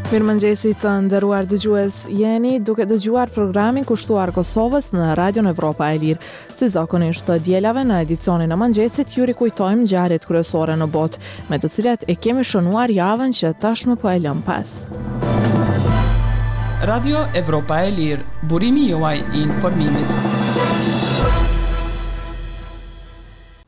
Mirëmëngjesi të nderuar dëgjues jeni duke dëgjuar programin kushtuar Kosovës në Radion Evropa e Lirë. Si zakonisht të dielave në edicionin e mëngjesit ju rikujtojmë ngjarjet kryesore në botë, me të cilat e kemi shënuar javën që tashmë po e lëmë pas. Radio Evropa e Lirë, burimi juaj i informimit.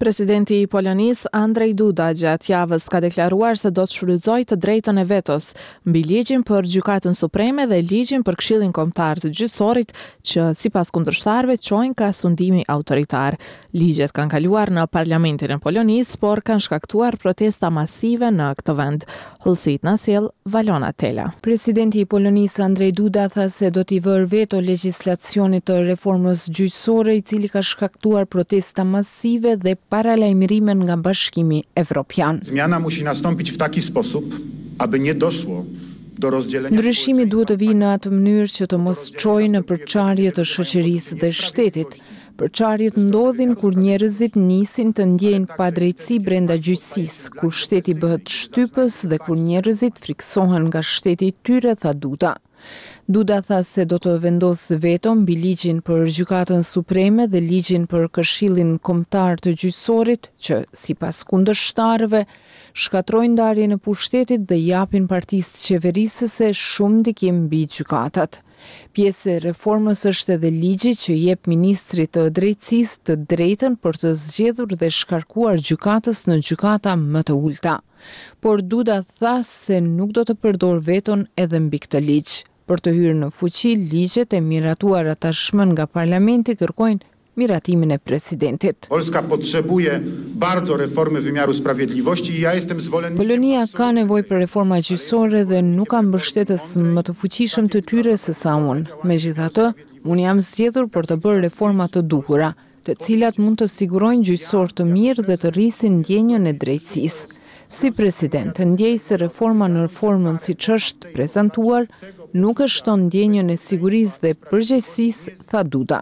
Presidenti i Polonisë, Andrzej Duda, gjatë javës ka deklaruar se do të shfrytëzojë të drejtën e vetos mbi ligjin për Gjykatën Supreme dhe ligjin për Këshillin Kombëtar të Gjyqësorit, që sipas kundërshtarëve çojnë ka sundimi autoritar. Ligjet kanë kaluar në Parlamentin e Polonisë, por kanë shkaktuar protesta masive në këtë vend. Hollësitë na sjell Valona Tela. Presidenti i Polonisë Andrzej Duda tha se do t'i vërë veto legjislacionit të reformës gjyqësore i cili ka shkaktuar protesta masive dhe paralajmërime nga Bashkimi Evropian. Zmiana musi nastąpić w taki sposób, aby nie doszło do rozdzielenia Ndryshimi duhet të vijë në atë mënyrë që të mos çojë në përçarje të shoqërisë dhe shtetit. Përçarjet ndodhin kur njerëzit nisin të ndjejnë padrejtësi brenda gjyqësisë, kur shteti bëhet shtypës dhe kur njerëzit frikësohen nga shteti i tyre, tha Duda. Duda tha se do të vendosë veto mbi ligjin për Gjykatën Supreme dhe ligjin për Këshillin Kombëtar të Gjyqësorit, që, sipas kundërshtarëve, shkatërrojnë ndarjen e pushtetit dhe i japin partisë qeverisëse shumë ndikim mbi gjykatat. Pjesë e reformës është edhe ligji që i jep ministrit të Drejtësisë të drejtën për të zgjedhur dhe shkarkuar gjykatës në gjykata më të ulëta. Por Duda tha se nuk do të përdorë veton edhe mbi këtë ligj. Për të hyrë në fuqi, ligjet e miratuara tashmë nga parlamenti kërkojnë miratimin e presidentit. Polska potrzebuje bardzo reformy wymiaru sprawiedliwości i ja jestem zwolennikiem Polonia ka nevojë për reforma gjyqësore dhe nuk ka mbështetës më të fuqishëm të tyre se sa unë. Megjithatë, unë jam zgjedhur për të bërë reforma të duhura, të cilat mund të sigurojnë gjyqësor të mirë dhe të rrisin ndjenjën e drejtësisë. Si president, ndjej se reforma në formën siç është prezantuar, nuk e shton ndjenjën e sigurisë dhe përgjegjësisë, tha Duda.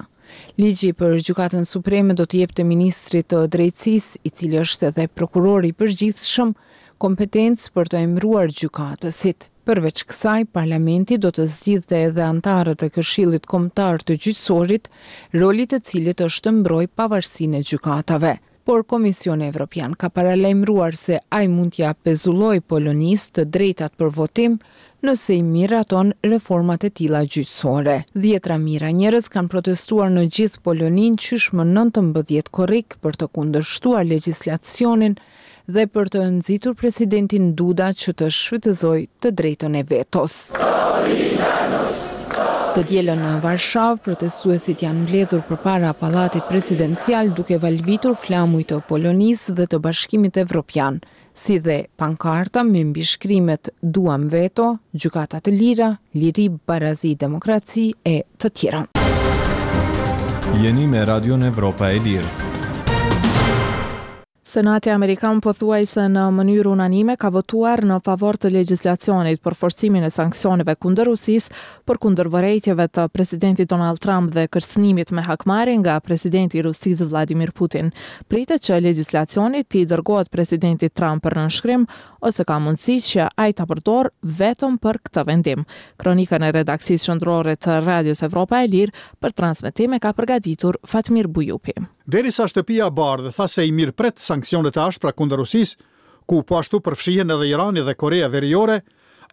Ligji për Gjykatën Supreme do t'i jepte ministrit të Drejtësisë, i cili është edhe prokuror i përgjithshëm, kompetencë për të emëruar gjykatësit. Përveç kësaj, parlamenti do të zgjidhte edhe anëtarët e Këshillit Kombëtar të Gjyqësorit, roli i të cilit është të mbrojë pavarësinë e gjykatave. Por Komisioni Evropian ka paralajmëruar se ai mund t'ia pezullojë Polonisë të drejtat për votim nëse i miraton reformat e tilla gjyqësore. Dhjetëra mijëra njerëz kanë protestuar në gjithë Poloninë qysh më 19 korrik për të kundërshtuar legjislacionin dhe për të nxitur presidentin Duda që të shfrytëzojë të drejtën e vetos. Të dielën në Varshavë, protestuesit janë mbledhur përpara Pallatit Presidencial duke valvitur flamuj të Polonisë dhe të Bashkimit Evropian, si dhe pankarta me mbishkrimet Duam veto, Gjykata të lira, Liri, barazi, demokraci e të tjera. Jeni me Radion Evropa e Lirë. Senati amerikan pothuajse në mënyrë unanime ka votuar në favor të legjislacionit për forcimin e sanksioneve kundër Rusisë, përkundër vërejtjeve të presidentit Donald Trump dhe kërcënimit me hakmarrje nga presidenti i Rusisë Vladimir Putin. Pritet që legjislacioni t'i dërgohet presidentit Trump për nënshkrim, ose ka mundësi që ai ta përdorë veton për këtë vendim. Kronikën e redaksisë qendrore të Radios Evropa e Lirë për transmetim e ka përgatitur Fatmir Bujupi. Derisa Shtëpia e Bardhë tha se i mirëpret sanksionet e ashpra kundër Rusisë, ku po ashtu përfshihen edhe Irani dhe Koreja Veriore,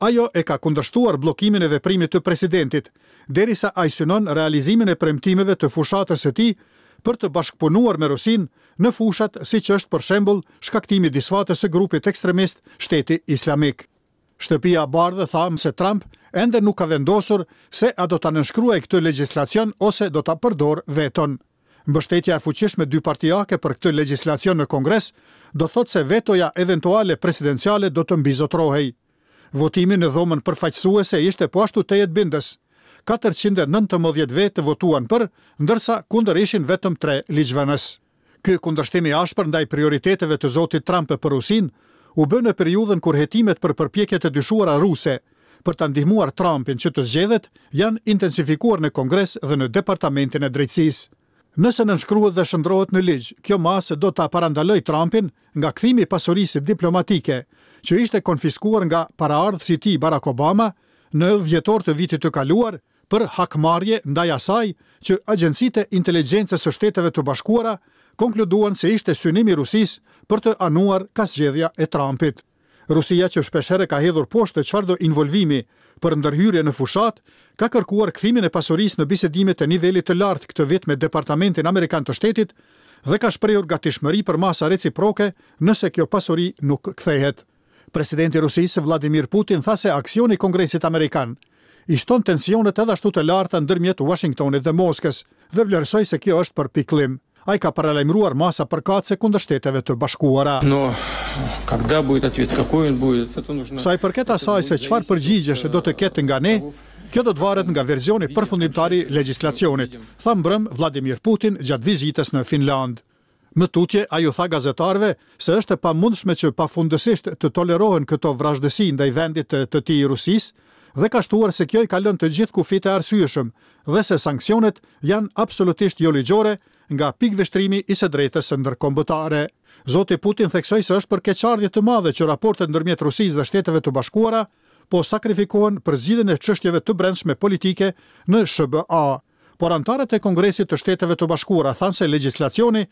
ajo e ka kundërshtuar bllokimin e veprimit të presidentit, derisa ai synon realizimin e premtimeve të fushatës së tij për të bashkëpunuar me Rusinë në fushat siç është për shembull shkaktimi i disfatës së grupit ekstremist Shteti Islamik. Shtëpia e Bardhë tha se Trump ende nuk ka vendosur se a do ta nënshkruajë këtë legjislacion ose do ta përdorë veton. Mbështetja e fuqishme dypartiake për këtë legjislacion në Kongres do të thotë se vetoja eventuale presidenciale do të mbizotërohej. Votimi në Dhomën Përfaqësuese ishte po ashtu tejet bindës. 419 vetë votuan për, ndërsa kundër ishin vetëm tre ligjvënës. Ky kundërshtim i ashpër ndaj prioriteteve të zotit Trump për Rusinë u bë në periudhën kur hetimet për përpjekjet e dyshuara ruse për ta ndihmuar Trumpin që të zgjedhet janë intensifikuar në Kongres dhe në Departamentin e Drejtësisë. Nëse nënshkruhet dhe shndërrohet në ligj, kjo masë do ta parandalojë Trumpin nga kthimi i pasurisë diplomatike, që ishte konfiskuar nga paraardhësi i tij Barack Obama, në dhjetor të vitit të kaluar për hakmarrje ndaj asaj që agjencitë e inteligjencës së Shteteve të Bashkuara konkluduan se ishte synim i Rusisë për të anuar ka zgjedhja e Trumpit. Rusia që shpeshherë ka hedhur poshtë çfarëdo involvimi për ndërhyrje në fushatë, ka kërkuar kthimin e pasurisë në bisedimet e nivelit të lartë këtë vit me Departamentin Amerikan të Shtetit dhe ka shprehur gatishmëri për masa reciproke nëse kjo pasuri nuk kthehet. Presidenti i Rusisë, Vladimir Putin tha se aksioni i Kongresit Amerikan i shton tensionet edhe ashtu të larta ndërmjet Uashingtonit dhe Moskës dhe vlerësoi se kjo është për pikëllim. Ai ka paralajmëruar masa përkatëse kundër Shteteve të Bashkuara. Sa i përket asaj se çfarë përgjigjesh do të ketë nga ne, kjo do të varet nga versioni përfundimtar i legjislacionit, tha mbrëmë Vladimir Putin gjatë vizitës në Finlandë. Më tutje, ai u tha gazetarëve se është e pamundshme që pafundësisht të tolerohen këto vrazhdësi ndaj vendit të tij Rusisë dhe ka shtuar se kjo i kalon të gjithë kufijtë e arsyeshëm dhe se sanksionet janë absolutisht joligjore nga pikëvështrimi i së drejtës ndërkombëtare. Zoti Putin theksoi se është për keqardhje të madhe që raportet ndërmjet Rusisë dhe Shteteve të Bashkuara po sakrifikohen për zgjidhjen e çështjeve të brendshme politike në SHBA. Por anëtarët e Kongresit të Shteteve të Bashkuara thanë se legjislacioni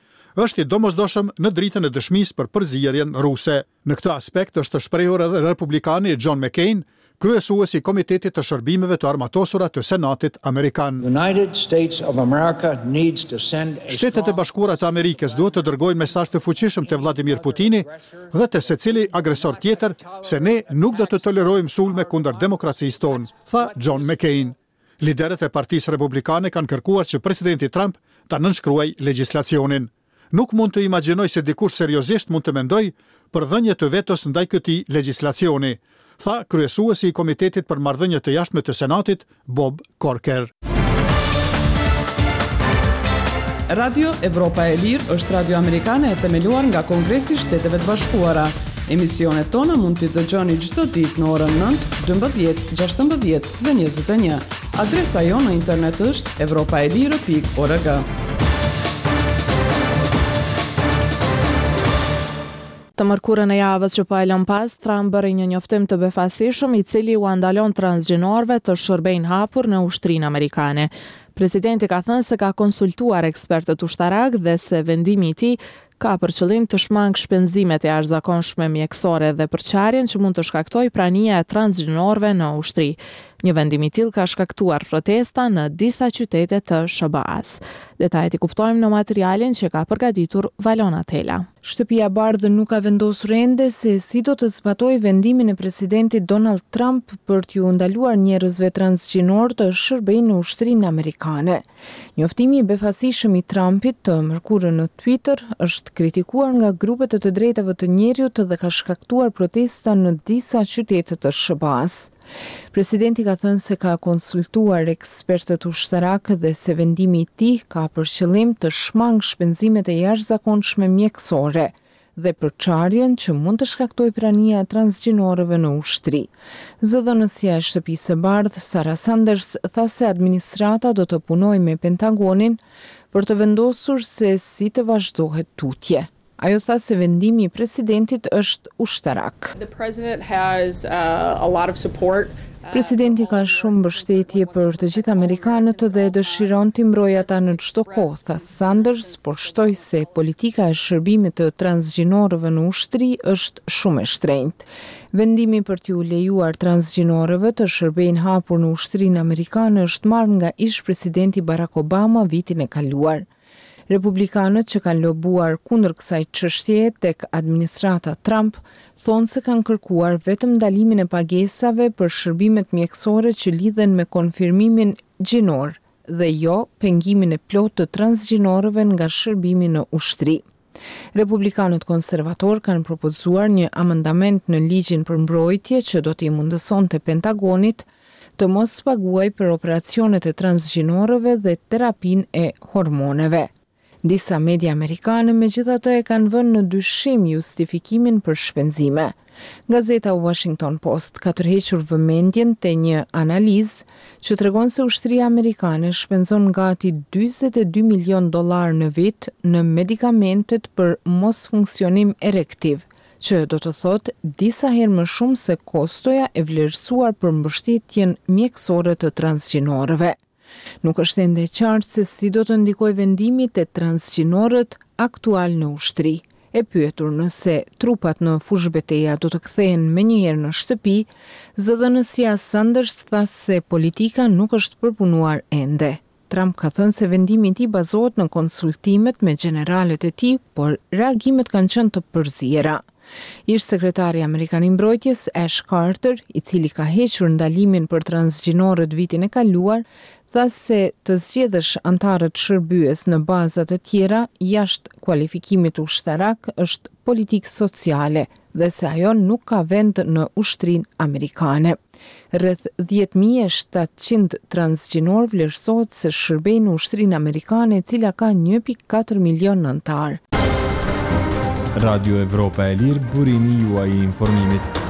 është i domosdoshëm në dritën e dëshmisë për përzierjen ruse. Në këtë aspekt është shprehur edhe republikani John McCain, kryesues i Komitetit të Shërbimeve të Armatosura të Senatit amerikan. Shtetet e Bashkuara të Amerikës duhet të dërgojnë mesazh të fuqishëm te Vladimir Putini dhe te secili agresor tjetër se ne nuk do të tolerojmë sulme kundër demokracisë tonë, tha John McCain. Liderët e Partisë Republikane kanë kërkuar që presidenti Trump ta nënshkruajë legjislacionin. Nuk mund të imagjinoj se dikush seriozisht mund të mendojë për dhënie të vetos ndaj këtij legjislacioni, tha kryesuesi i Komitetit për Marrëdhënie të Jashtme të Senatit, Bob Corker. Radio Evropa e Lirë është radio amerikane e themeluar nga Kongresi i Shteteve të Bashkuara. Emisionet tona mund t'i dëgjoni çdo ditë në orën 9, 12, 16 dhe 21. Adresa jonë në internet është evropaelire.org. Të mërkurën e javës që po e lëmë pas, Trump bëri një njoftim të befasishëm i cili ua ndalon transgjinorëve të shërbejnë hapur në ushtrinë amerikane. Presidenti ka thënë se ka konsultuar ekspertët ushtarakë dhe se vendimi i tij ka për qëllim të shmangë shpenzimet e jashtëzakonshme mjekësore dhe përçarjen që mund të shkaktojë prania e transgjinorëve në ushtri. Një vendim i tillë ka shkaktuar protesta në disa qytete të SHBA-së. Detajet i kuptojmë në materialin që ka përgatitur Valona Tela. Shtëpia e Bardhë nuk ka vendosur ende se si do të zbatojë vendimin e presidentit Donald Trump për t'iu ndaluar njerëzve transgjinorë të shërbejnë në ushtrinë amerikane. Njoftimi i befasishëm i Trumpit të mërkurën në Twitter është kritikuar nga grupe të të drejtave të njeriut dhe ka shkaktuar protesta në disa qytete të SHBA-së. Presidenti ka thënë se ka konsultuar ekspertët ushtarakë dhe se vendimi i tij ka për qëllim të shmangë shpenzimet e jashtëzakonshme mjekësore dhe përçarjen që mund të shkaktojë prania e transgjinorëve në ushtri. Zëdhënësja e Shtëpisë së Bardhë, Sarah Sanders, tha se administrata do të punojë me Pentagonin për të vendosur se si të vazhdohet tutje. Ajo tha se vendimi i presidentit është ushtarak. Presidenti ka shumë mbështetje për të gjithë amerikanët dhe dëshiron t'i mbrojë ata në çdo kohë, tha Sanders, por shtoi se politika e shërbimit të transgjinorëve në ushtri është shumë e shtrenjtë. Vendimi për t'iu lejuar transgjinorëve të shërbejnë hapur në ushtrinë amerikane është marrë nga ish-presidenti Barack Obama vitin e kaluar. Republikanët që kanë lobuar kundër kësaj çështjeje tek administrata Trump thonë se kanë kërkuar vetëm ndalimin e pagesave për shërbimet mjekësore që lidhen me konfirmimin gjinor dhe jo pengimin e plotë të transgjinorëve nga shërbimi në ushtri. Republikanët konservatorë kanë propozuar një amendament në ligjin për mbrojtje që do t'i mundësonte Pentagonit të mos paguajë për operacionet e transgjinorëve dhe terapinë e hormoneve. Disa media amerikane megjithatë e kanë vënë në dyshim justifikimin për shpenzime. Gazeta Washington Post ka tërhequr vëmendjen te një analizë që tregon se ushtria amerikane shpenzon gati 42 milionë dollarë në vit në medikamentet për mosfunksionim erektiv, që do të thotë disa herë më shumë se kostoja e vlerësuar për mbështetjen mjekësore të transgjinorëve. Nuk është ende e qartë se si do të ndikojë vendimi te transgjinorët aktualë në ushtri. E pyetur nëse trupat në fushëbeteja do të kthehen menjëherë në shtëpi, zëdhënësja Sanders tha se politika nuk është përpunuar ende. Trump ka thënë se vendimi i tij bazohet në konsultimet me gjeneralët e tij, por reagimet kanë qenë të përziera. Ish-sekretari amerikan i Mbrojtjes, Ash Carter, i cili ka hequr ndalimin për transgjinorët vitin e kaluar, tha se të zgjedhësh anëtarët shërbyes në baza të tjera jashtë kualifikimit ushtarak është politikë sociale dhe se ajo nuk ka vend në ushtrinë amerikane. Rreth 10.700 transgjinorë vlerësohet se shërbejnë në ushtrinë amerikane e cila ka 1.4 milion anëtarë. Radio Evropa e Lirë, burimi juaj i informimit.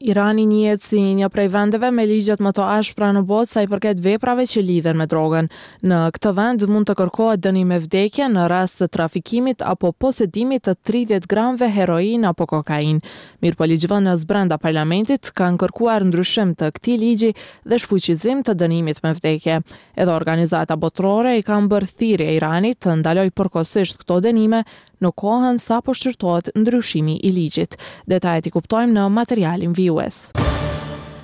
Irani njihet si një prej vendeve me ligjet më të ashpra në botë sa i përket veprave që lidhen me drogën. Në këtë vend mund të kërkohet dënim me vdekje në rast të trafikimit apo posedimit të 30 gramëve heroinë apo kokainë. Mirëpo ligjvënës brenda parlamentit kanë kërkuar ndryshim të këtij ligji dhe shfuqizim të dënimit me vdekje. Edhe organizata botërore i kanë bërë thirrje Iranit të ndalojë përkohësisht këto dënime në kohën sa po shqyrtohet ndryshimi i ligjit. Detajet i kuptojmë në materialin vijues.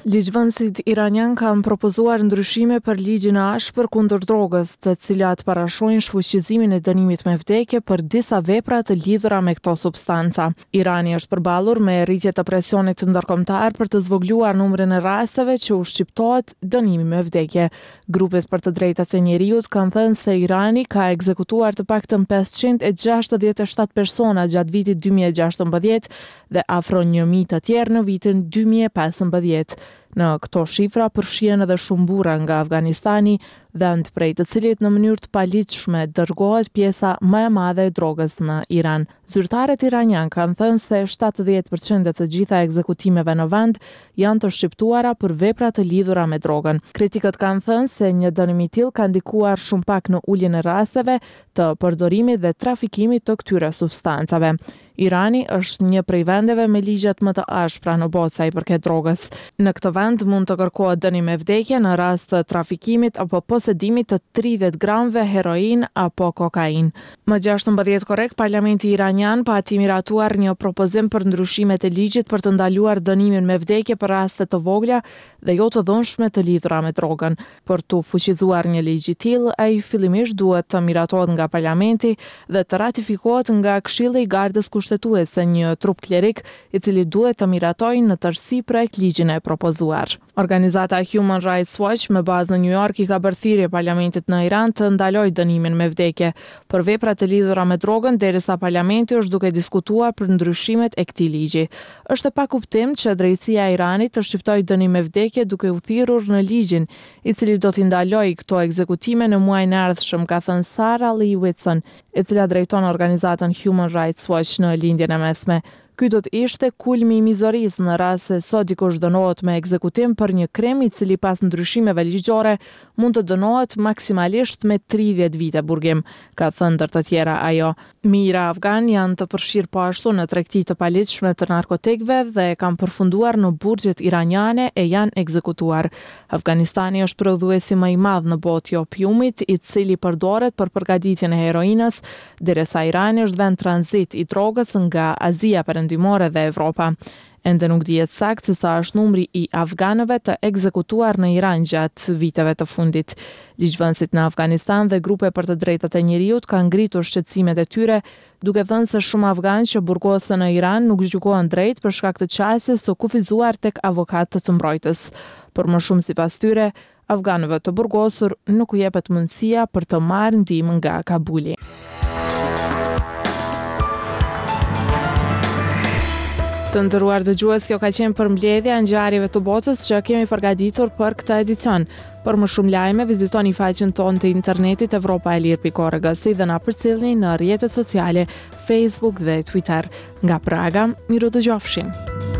Ligjvënësit iranianë kanë propozuar ndryshime për ligjin e ashpër kundër drogës, të cilat parashohin shfuqizimin e dënimit me vdekje për disa vepra të lidhura me këto substanca. Irani është përballur me rritje të presionit ndërkombëtar për të zvogëluar numrin e rasteve që u shqiptohet dënimi me vdekje. Grupet për të drejtat e njeriut kanë thënë se Irani ka ekzekutuar të paktën 567 persona gjatë vitit 2016 dhe afro 1000 të tjerë në vitin 2015. Në këto shifra përfshihen edhe shumë burra nga Afganistani, vend prej të cilit në mënyrë të paligjshme dërgohet pjesa më e madhe e drogës në Iran. Zyrtarët iranianë kanë thënë se 70 për qind e të gjitha ekzekutimeve në vend janë të shqiptuara për vepra të lidhura me drogën. Kritikët kanë thënë se një dënim i tillë ka ndikuar shumë pak në uljen e rasteve të përdorimit dhe trafikimit të këtyre substancave. Irani është një prej vendeve me ligjet më të ashpra në botë sa i përket drogës. Në këtë vend mund të kërkohet dënim me vdekje në rast të trafikimit apo posedimit të 30 gramëve heroinë apo kokainë. Më 16 korrik, Parlamenti iranian pati miratuar një propozim për ndryshimet e ligjit për të ndaluar dënimin me vdekje për raste të vogla dhe jo të dhunshme të lidhura me drogën. Për t'u fuqizuar një ligj i tillë, ai fillimisht duhet të miratohet nga Parlamenti dhe të ratifikohet nga Këshilli i Gardës Kushtetuese, një trup klerik i cili duhet të miratojë në tërësi projektligjin e propozuar. Organizata Human Rights Watch me bazë në New York i ka bërë thirrje parlamentit në Iran të ndalojë dënimin me vdekje për vepra të lidhura me drogën derisa parlamenti është duke diskutuar për ndryshimet e këtij ligji. Është e pakuptimtë që drejtësia e Iranit të shqiptojë dënim me vdekje duke u thirrur në ligjin, i cili do t'i ndalojë këto ekzekutime në muajin e ardhshëm, ka thënë Sarah Lee Whitson, e cila drejton organizatën Human Rights Watch në Lindjen e Mesme. Ky do të ishte kulmi i mizorisë në rast se sot dikush dënohet me ekzekutim për një krim i cili pas ndryshimeve ligjore mund të dënohet maksimalisht me 30 vite burgim, ka thënë ndër të tjera ajo. Mijëra afganë janë të përfshirë po ashtu në tregti të paligjshme të narkotikëve dhe kanë përfunduar në burgjet iraniane e janë ekzekutuar. Afganistani është prodhuesi më i madh në botë i opiumit, i cili përdoret për përgatitjen e heroinës, derisa Irani është vend tranzit i drogës nga Azia Perëndimore dhe Evropa. Ende nuk dihet saktë se sa është numri i afganëve të ekzekutuar në Iran gjatë viteve të fundit. Ligjvënësit në Afganistan dhe grupe për të drejtat e njeriut kanë ngritur shqetësimet e tyre, duke thënë se shumë afganë që burgosen në Iran nuk gjykohen drejt për shkak të qasjes së kufizuar tek avokatët mbrojtës. Për më shumë sipas tyre, Afganëve të burgosur nuk u jepet mundësia për të marrë ndihmë nga Kabuli. Të nderuar dëgjues, kjo ka qenë përmbledhja e ngjarjeve të botës që kemi përgatitur për këtë edicion. Për më shumë lajme, vizitoni faqen tonë të internetit evropaelire.org si dhe na përcillni në rrjetet sociale Facebook dhe Twitter. Nga Praga, mirudëgjofshim.